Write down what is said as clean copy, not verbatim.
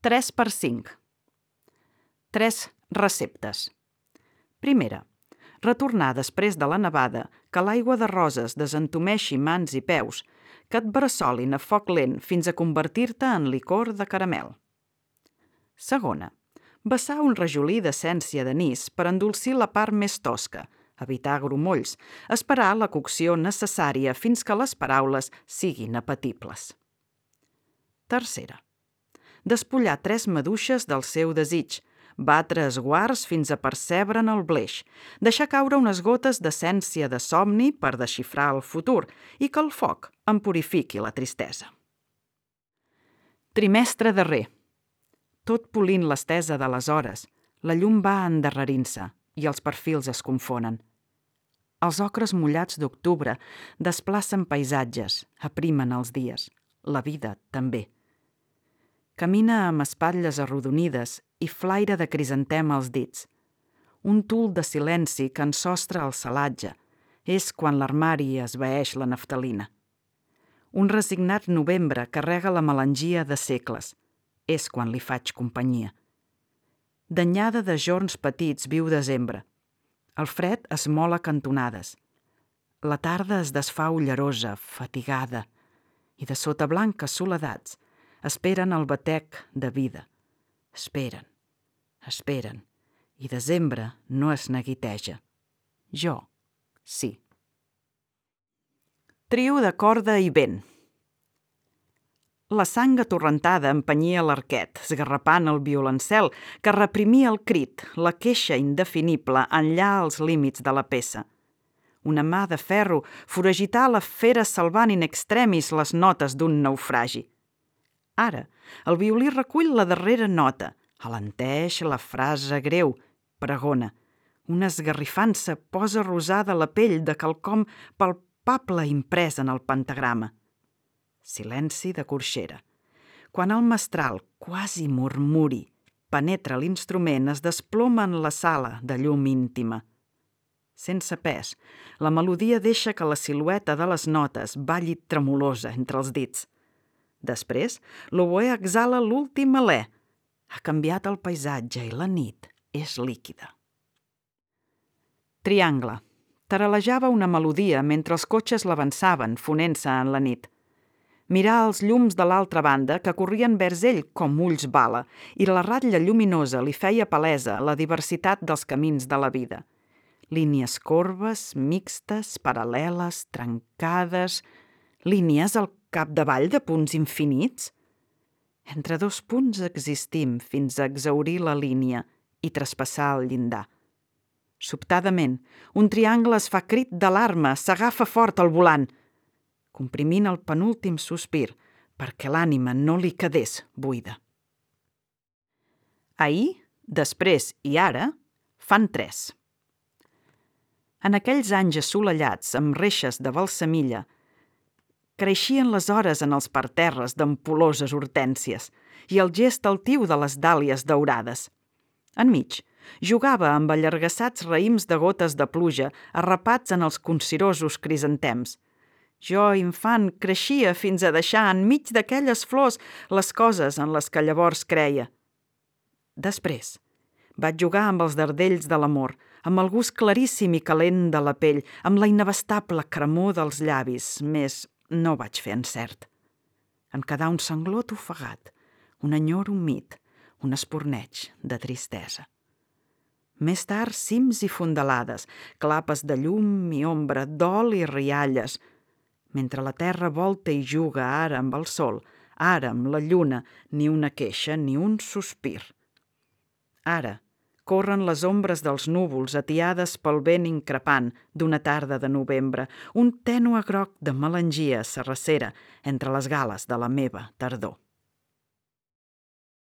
3x5. 3 receptes. Primera. Retornar després de la nevada, que l'aigua de roses desentumeixi mans i peus, que et bressolin a foc lent fins a convertir-te en licor de caramel. Segona. Vessar un rajolí d'essència d'anís per endolcir la part més tosca, evitar grumolls, esperar la cocció necessària fins que les paraules siguin apetibles. Tercera. Despullar 3 maduixes del seu desig, batre esguards fins a percebre'n el bleix, deixar caure unes gotes d'essència de somni per desxifrar el futur i que el foc en purifiqui la tristesa. Trimestre darrer. Tot polint l'estesa de les hores, la llum va endarrerint-se i els perfils es confonen. Els ocres mullats d'octubre desplacen paisatges, aprimen els dies, la vida també. Camina amb espatlles arrodonides i flaire de crisantem als dits. Un tul de silenci que ensostra el celatge. És quan l'armari esvaeix la naftalina. Un resignat novembre carrega la melangia de segles. És quan li faig companyia. Danyada de jorns petits viu desembre. El fred es mola cantonades. La tarda es desfà ullerosa, fatigada, i de sota blanques soledats esperen el batec de vida. Esperen, esperen, i desembre no es neguiteja. Jo, sí. Trio de corda i vent. La sang atorrentada empenyia l'arquet, esgarrapant el violoncel, que reprimia el crit, la queixa indefinible enllà els límits de la peça. Una mà de ferro foragità la fera salvant in extremis les notes d'un naufragi. Ara, el violí recull la darrera nota, alenteix la frase greu, pregona. Una esgarrifança posa rosada la pell de quelcom palpable imprès en el pentagrama. Silenci de corxera. Quan el mestral, quasi murmuri, penetra l'instrument, es desploma en la sala de llum íntima. Sense pes, la melodia deixa que la silueta de les notes balli tremolosa entre els dits. Després, l'oboè exhala l'últim alè. Ha canviat el paisatge i la nit és líquida. Triangle. Taralejava una melodia mentre els cotxes l'avançaven, fonent-se en la nit. Mirar els llums de l'altra banda que corrien vers ell com ulls bala i la ratlla lluminosa li feia palesa la diversitat dels camins de la vida. Línies corbes, mixtes, paral·leles, trencades, línies al capdavall de punts infinits. Entre 2 punts existim fins a exhaurir la línia i traspassar el llindar. Sobtadament, un triangle es fa crit d'alarma, s'agafa fort al volant, comprimint el penúltim sospir perquè l'ànima no li quedés buida. Ahir, després i ara fan 3. En aquells anys assolellats amb reixes de balsamilla, creixien les hores en els parterres d'ampoloses hortències i el gest altiu de les dàlies daurades. Enmig, jugava amb allargassats raïms de gotes de pluja arrapats en els concirosos crisantems. Jo, infant, creixia fins a deixar enmig d'aquelles flors les coses en les que llavors creia. Després, vaig jugar amb els dardells de l'amor, amb el gust claríssim i calent de la pell, amb la inabastable cremor dels llavis, més no vaig fer encert. En quedà un sanglot ofegat, un enyor humit, un esporneig de tristesa. Més tard, cims i fondalades, clapes de llum i ombra, dol i rialles, mentre la terra volta i juga ara amb el sol, ara amb la lluna, ni una queixa ni un sospir. Ara, corren les ombres dels núvols atiades pel vent increpant d'una tarda de novembre, un tènue groc de melangia s'arrecera entre les gales de la meva tardor.